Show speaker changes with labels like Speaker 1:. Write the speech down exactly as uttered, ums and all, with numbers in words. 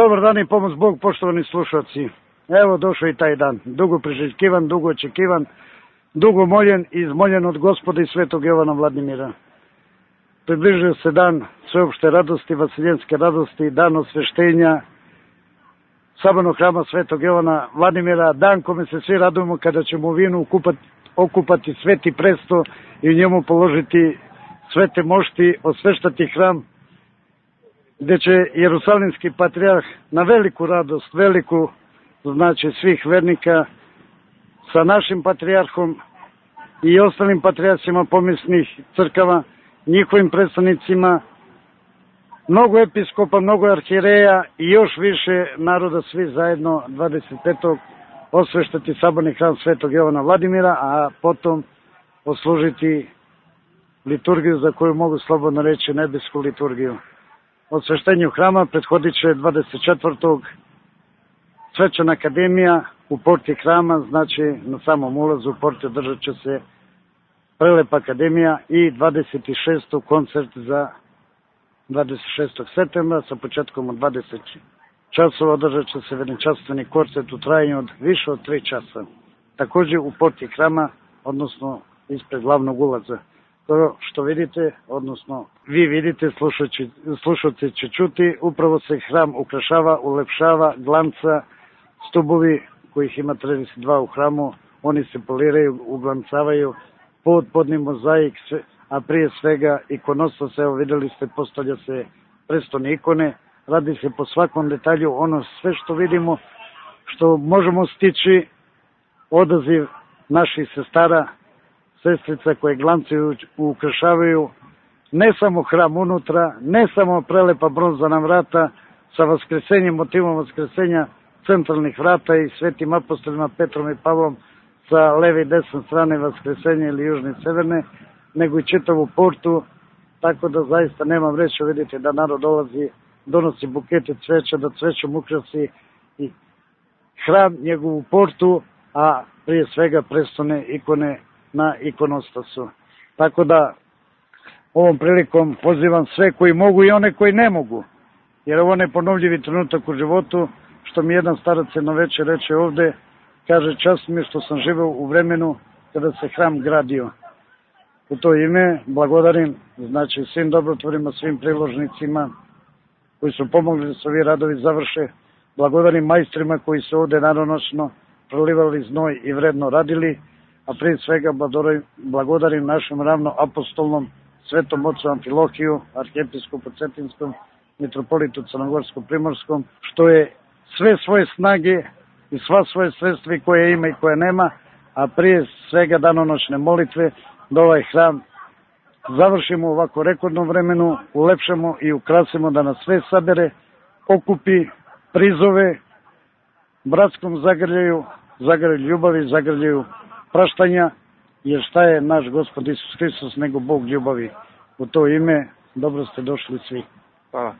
Speaker 1: Dobar dan i pomoć Bog, poštovani slušalci. Evo došao i taj dan, dugo priželjkivan, dugo očekivan, dugo moljen i izmoljen od Gospoda i svetog Jovana Vladimira. Približio se dan sveopšte radosti, vasiljenske radosti, dan osveštenja sabornog hrama svetog Jovana Vladimira, dan kome se svi radujemo kada ćemo u vinu okupati, okupati sveti presto i u njemu položiti svete mošti, osveštati hram, gde će Jerusalimski patrijarh na veliku radost, veliku znači svih vernika sa našim patrijarhom i ostalim patrijarhima pomisnih crkava, njihovim predstavnicima, mnogo episkopa, mnogo arhijereja i još više naroda, svi zajedno dvadeset petog osveštati saborni hram svetog Jovana Vladimira, a potom oslužiti liturgiju za koju mogu slobodno reći nebesku liturgiju. Osveštenju hrama prethodit će dvadeset četvrtog svečana akademija u porti hrama, znači na samom ulazu u porti održat će se prelepa akademija i dvadeset šestog koncert za dvadeset šestog septembra sa početkom od dvadeset časova održat će se veličanstveni koncert u trajanju od više od tri časa. Također u porti hrama, odnosno ispred glavnog ulaza. To što vidite, odnosno vi vidite, slušalci će čuti, upravo se hram ukrašava, ulepšava, glanca, stubovi kojih ima trideset dva u hramu, oni se poliraju, uglancavaju, pod podni mozaik, a prije svega ikonostas, evo videli ste, postavlja se prestone ikone, radi se po svakom detalju, ono sve što vidimo, što možemo stići, odaziv naših sestara, sestrica koje glancaju, ukrašavaju ne samo hram unutra, ne samo prelepa bronzana vrata sa vaskresenjem, motivom vaskresenja centralnih vrata i svetim apostolima Petrom i Pavlom sa leve i desne strane vaskresenja ili južne i severne, nego i čitavu portu, tako da zaista nemam reći, vidite da narod dolazi, donosi bukete cveća, da cvećom ukrasi i hram, njegovu portu, a prije svega prestone ikone na ikonostasu. Tako da ovom prilikom pozivam sve koji mogu i one koji ne mogu, jer ovo je neponovljivi trenutak u životu, što mi jedan starac jedno večer reče ovde, kaže, čast mi je što sam živeo u vremenu kada se hram gradio. U to ime blagodarim, znači svim dobrotvorima, svim priložnicima koji su pomogli da se ovi radovi završe, blagodarim majstrima koji su ovde danonoćno prolivali znoj i vredno radili, a prije svega blagodarim našem ravnoapostolnom svetom ocu Amfilohiju, arhijepiskopu Cetinskom, mitropolitu Crnogorsko-Primorskom, što je sve svoje snage i sva svoje sredstva koje ima i koje nema, a prije svega danonoćne molitve, da ovaj hram završimo u ovako rekordnom vremenu, ulepšamo i ukrasimo, da nas sve sabere, okupi, prizove, bratskom zagrljaju, zagrljaju ljubavi, zagrljaju praštanja, jer šta je naš Gospod Isus Hristos nego Bog ljubavi. U to ime dobro ste došli svi. Hvala.